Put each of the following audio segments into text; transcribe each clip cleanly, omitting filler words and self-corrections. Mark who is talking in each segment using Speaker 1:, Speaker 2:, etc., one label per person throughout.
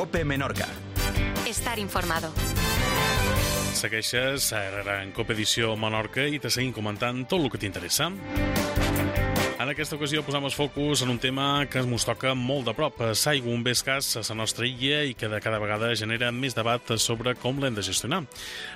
Speaker 1: COPE Menorca.
Speaker 2: Estar informado.
Speaker 3: Segueixes en COPE Edició Menorca i te seguim comentant tot el que t'interessa. En aquesta ocasió posam el focus en un tema que ens toca molt de prop. L'aigua, un bé escàs a la nostra illa i que de cada vegada genera més debat sobre com l'hem de gestionar.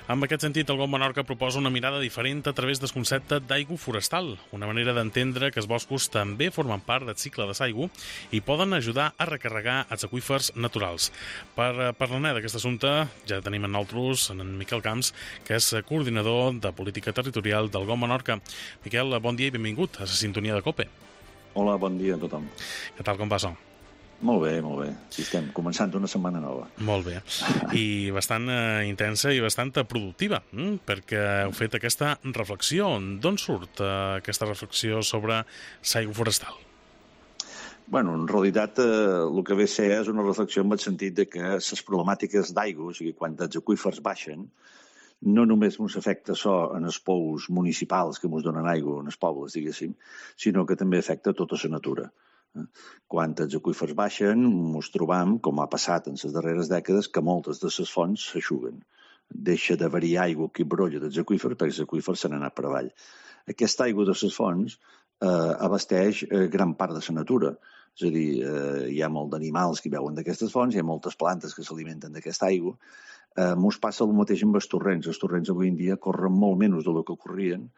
Speaker 3: En aquest sentit, el GOV Menorca proposa una mirada diferent a través del concepte d'aigua forestal, una manera d'entendre que els boscos també formen part del cicle de l'aigua i poden ajudar a recarregar els aqüífers naturals. Per parlar d'aquest assumpte, ja tenim en nosaltres en Miquel Camps, que és coordinador de política territorial del GOV Menorca. Miquel, bon dia i benvingut a la sintonia de COPE.
Speaker 4: Hola, bon dia a tothom.
Speaker 3: Què tal, com va això?
Speaker 4: Molt bé, molt bé. Sí, estem començant una setmana nova.
Speaker 3: Molt bé. I bastant intensa i bastant productiva, perquè heu fet aquesta reflexió. D'on surt aquesta reflexió sobre l'aigua forestal?
Speaker 4: Bueno, en realitat el que ve a ser és una reflexió en el sentit de que les problemàtiques d'aigua, o sigui, quan els aqüífers baixen, no només ens afecta això en els pous municipals que ens donen aigua, en els pobles, diguéssim, sinó que també afecta tota la natura. Quan els aqüífers baixen, ens trobam, com ha passat en les darreres dècades, que moltes de les fonts s'aixuguen. Deixa d'haver-hi aigua que brolla dels aqüífers perquè els aqüífers se n'han anat per avall. Aquesta aigua de les fonts abasteix gran part de la natura. És a dir, hi ha molt d'animals que beuen d'aquestes fonts, hi ha moltes plantes que s'alimenten d'aquesta aigua. Ens passa el mateix amb els torrents. Els torrents avui en dia corren molt menys del que corrien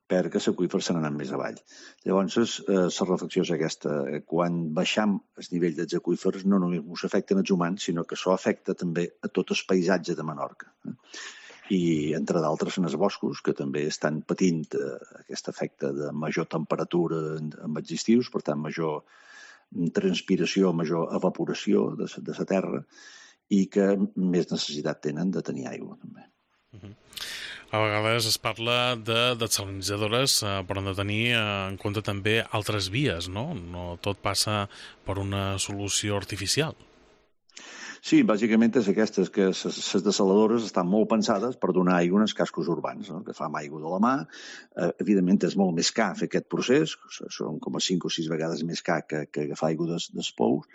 Speaker 4: perquè els aqüífers se n'han més avall. Llavors, la reflexió és aquesta. Quan baixam el nivell dels aqüífers, no només ens afecten els humans, sinó que això afecta també a tot el paisatge de Menorca. I, entre d'altres, en els boscos, que també estan patint aquest efecte de major temperatura en els estius, per tant, major transpiració, major evaporació de la terra, i que més necessitat tenen de tenir aigua, també.
Speaker 3: A vegades es parla de desalinitzadores, però hem de tenir en compte també altres vies, no? No tot passa per una solució artificial.
Speaker 4: Sí, bàsicament és aquestes, que les desaladores estan molt pensades per donar aigua als cascos urbans, no? Que fa aigua de la mà. Evidentment és molt més car fer aquest procés, són com a 5 o 6 vegades més car que agafar aigua dels pous,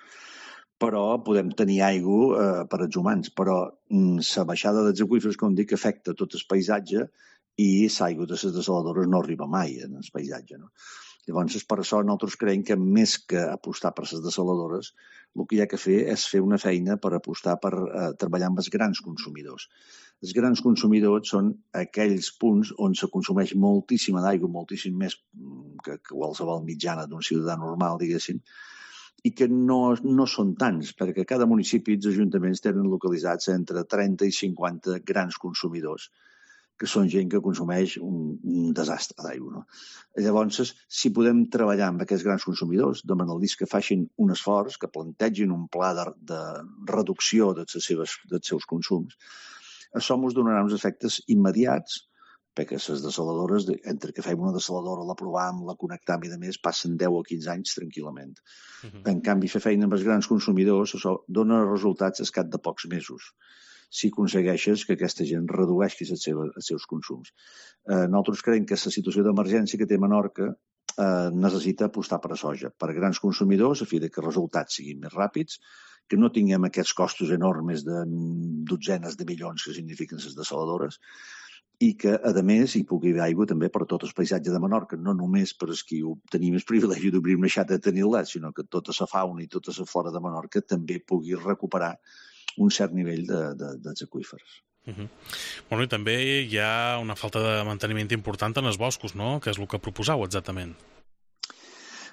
Speaker 4: però podem tenir aigua per als humans. Però la baixada dels aqüífers, com dic, afecta tot el paisatge i l'aigua de les desaladores no arriba mai en el paisatge, no? Llavors, per això nosaltres creiem que més que apostar per les desaladores, el que hi ha que fer és fer una feina per apostar per treballar amb els grans consumidors. Els grans consumidors són aquells punts on se consumeix moltíssima d'aigua, moltíssim més que qualsevol mitjana d'un ciutadà normal, diguéssim, i que no són tants, perquè cada municipi i els ajuntaments tenen localitzats entre 30 i 50 grans consumidors, que són gent que consumeix un desastre d'aigua, no? Llavors, si podem treballar amb aquests grans consumidors, demanar-los que facin un esforç, que plantegin un pla de reducció dels seus consums, això ens donarà uns efectes immediats, perquè les desaladores, entre que fem una desaladora, la provem, la connectam i més, passen 10 o 15 anys tranquil·lament. En canvi, fer feina amb els grans consumidors, això dona resultats al cap de pocs mesos, si aconsegueixes que aquesta gent redueixi els seus consums. Nosaltres creiem que la situació d'emergència que té Menorca necessita apostar per a soja, per a grans consumidors, a fi que els resultats siguin més ràpids, que no tinguem aquests costos enormes de dotzenes de milions que signifiquen les desaladores, i que, a més, hi pugui haver aigua també per a tot el paisatge de Menorca, no només per als qui tenim el privilegi d'obrir una xata de tenir-la, sinó que tota la fauna i tota la flora de Menorca també pugui recuperar un cert nivell dels aqüífers.
Speaker 3: Bueno, i també hi ha una falta de manteniment important en els boscos, no? Que és el que proposau exactament.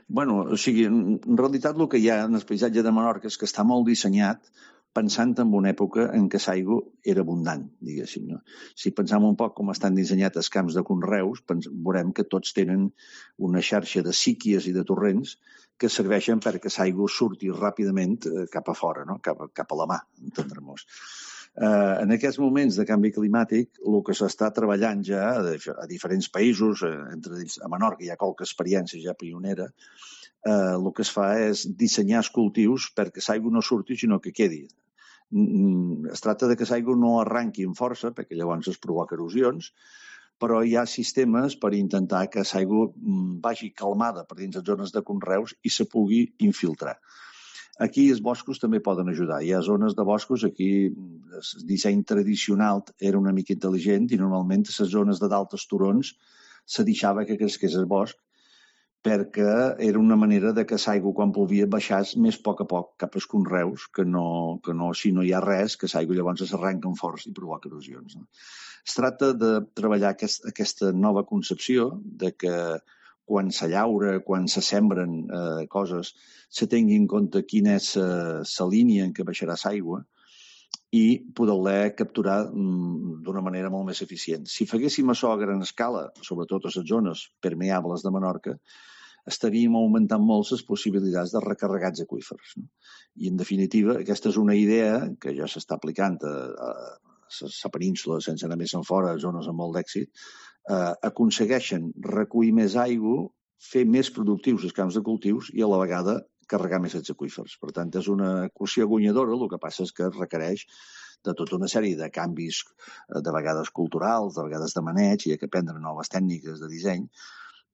Speaker 4: Bueno, o sigui, en realitat el que hi ha en el paisatge de Menorca és que està molt dissenyat pensant en una època en què l'aigua era abundant, diguéssim, no? Si pensam un poc com estan dissenyats els camps de conreus, veurem que tots tenen una xarxa de síquies i de torrents que serveixen perquè l'aigua surti ràpidament cap a fora, no? Cap a la mà, entendre-nos. En aquests moments de canvi climàtic, el que s'està treballant ja a diferents països, entre ells a Menorca hi ha qualque experiència ja pionera, el que es fa és dissenyar els cultius perquè l'aigua no surti, sinó que quedi. Es tracta de que l'aigua no arranqui amb força, perquè llavors es provoca erosions, però hi ha sistemes per intentar que l'aigua vagi calmada per dins les zones de conreus i se pugui infiltrar. Aquí els boscos també poden ajudar. Hi ha zones de boscos, aquí el disseny tradicional era una mica intel·ligent i normalment a les zones de d'altes turons se deixava que cresqués el bosc perquè era una manera de que l'aigua quan plovia baixés més a poc cap als conreus, que no, si no hi ha res, que l'aigua llavors s'arrenca amb força i provoca erosions. No? Es tracta de treballar aquesta nova concepció de que quan se llaura, quan se sembren coses, se tingui en compte quina és la línia en què baixarà l'aigua i poder-la capturar d'una manera molt més eficient. Si faguéssim això a gran escala, sobretot a les zones permeables de Menorca, estaríem augmentant molt les possibilitats de recarregats aqüífers. No? I, en definitiva, aquesta és una idea que ja s'està aplicant a la península, sense anar més enfora, a zones amb molt d'èxit, aconsegueixen recollir més aigua, fer més productius els camps de cultius i, a la vegada, carregar més els aqüífers. Per tant, és una equació guanyadora, el que passa és que requereix de tota una sèrie de canvis, de vegades culturals, de vegades de maneig, i hi ha que aprendre noves tècniques de disseny,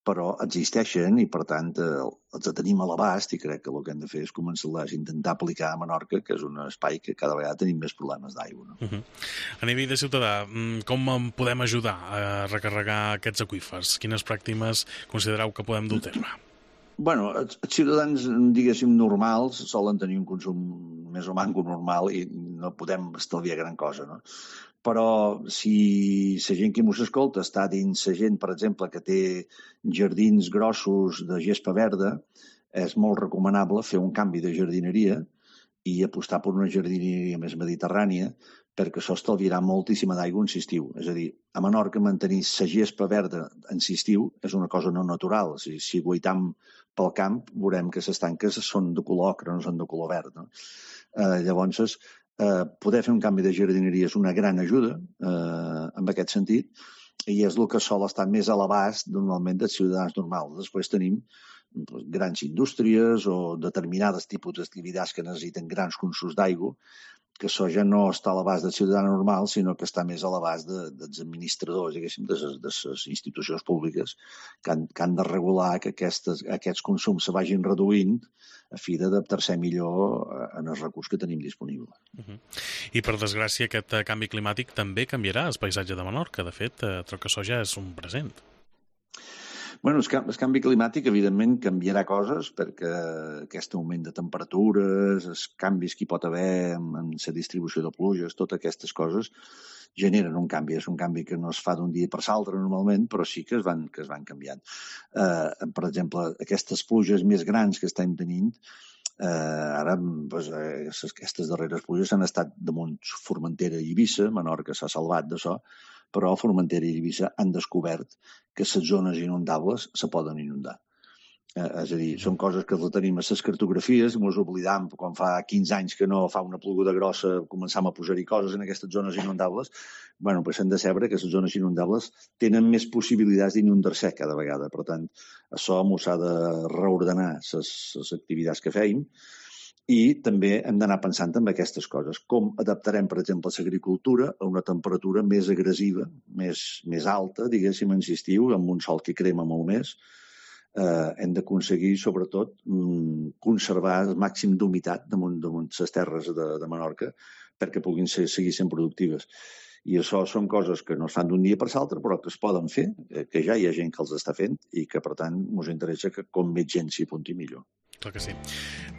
Speaker 4: però existeixen i, per tant, els tenim a l'abast i crec que el que hem de fer és començar-les a intentar aplicar a Menorca, que és un espai que cada vegada tenim més problemes d'aigua. No?
Speaker 3: A nivell de ciutadà, com podem ajudar a recarregar aquests aqüífers? Quines pràctiques considereu que podem dur a terme?
Speaker 4: Bueno, els ciutadans, diguéssim, normals solen tenir un consum més o manco normal i no podem estalviar gran cosa, no? Però si la gent que mos escolta està dins la gent, per exemple, que té jardins grossos de gespa verda, és molt recomanable fer un canvi de jardineria i apostar per una jardineria més mediterrània, perquè això estalviarà moltíssima d'aigua en l'estiu. És a dir, a Menorca mantenir la gespa verda en l'estiu és una cosa no natural. Si guaitam pel camp, veurem que les tanques són de color ocre, no són de color verd. No? Llavors, poder fer un canvi de jardineria és una gran ajuda en aquest sentit i és el que sol estar més a l'abast normalment dels ciutadans normals. Després tenim grans indústries o determinades tipus d'activitats que necessiten grans consums d'aigua, que això ja no està a l'abast del ciutadà normal, sinó que està més a l'abast dels administradors, diguéssim, de les institucions públiques, que han de regular que aquests consums se vagin reduint a fi d'adaptar-se millor en els recursos que tenim disponible.
Speaker 3: I, per desgràcia, aquest canvi climàtic també canviarà el paisatge de Menorca. De fet, trobo que això ja és un present.
Speaker 4: Bueno, el canvi climàtic, evidentment, canviarà coses perquè aquest augment de temperatures, els canvis que hi pot haver en la distribució de pluges, totes aquestes coses generen un canvi. És un canvi que no es fa d'un dia per l'altre normalment, però sí que es van canviant. Per exemple, aquestes pluges més grans que estem tenint, ara, aquestes darreres pluges han estat damunt Formentera i Eivissa, Menorca s'ha salvat d'això, però a Formentera i Eivissa han descobert que les zones inundables se poden inundar. És a dir, són coses que les tenim a les cartografies, ens oblidam quan fa 15 anys que no fa una ploguda grossa, començam a posar-hi coses en aquestes zones inundables. Bueno, pues hem de saber que les zones inundables tenen més possibilitats d'inundar-se cada vegada. Per tant, això ens ha de reordenar les activitats que feim i també hem d'anar pensant en aquestes coses. Com adaptarem, per exemple, l'agricultura a una temperatura més agressiva, més alta, diguéssim, en l'estiu, amb un sol que crema molt més. Hem d'aconseguir, sobretot, conservar el màxim d'humitat damunt les terres de Menorca perquè puguin seguir sent productives. I això són coses que no es fan d'un dia per l'altre, però que es poden fer, que ja hi ha gent que els està fent i que, per tant, ens interessa que com més gent s'hi apunti millor.
Speaker 3: Clar que sí.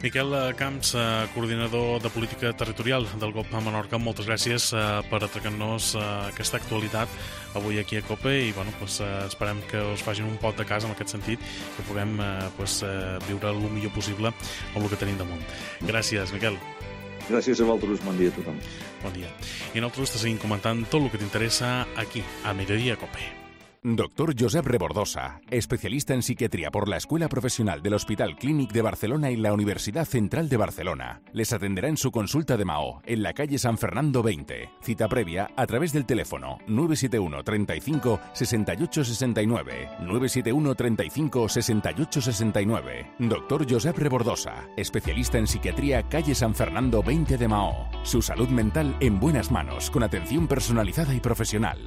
Speaker 3: Miquel Camps, coordinador de política territorial del GOP a Menorca, moltes gràcies per atracar-nos aquesta actualitat avui aquí a COPE i esperem que us facin un pot de casa en aquest sentit, que puguem viure el millor possible amb el que tenim damunt. Gràcies, Miquel.
Speaker 4: Gràcies a vosaltres. Bon dia a tothom.
Speaker 3: Bon dia. I nosaltres te seguim comentant tot el que t'interessa aquí, a Mediodía COPE.
Speaker 1: Doctor Josep Rebordosa, especialista en psiquiatría por la Escuela Profesional del Hospital Clínic de Barcelona y la Universidad Central de Barcelona. Les atenderá en su consulta de Mahó, en la calle San Fernando 20. Cita previa a través del teléfono 971 35 68 69. 971 35 68 69. Doctor Josep Rebordosa, especialista en psiquiatría, calle San Fernando 20 de Mahó. Su salud mental en buenas manos, con atención personalizada y profesional.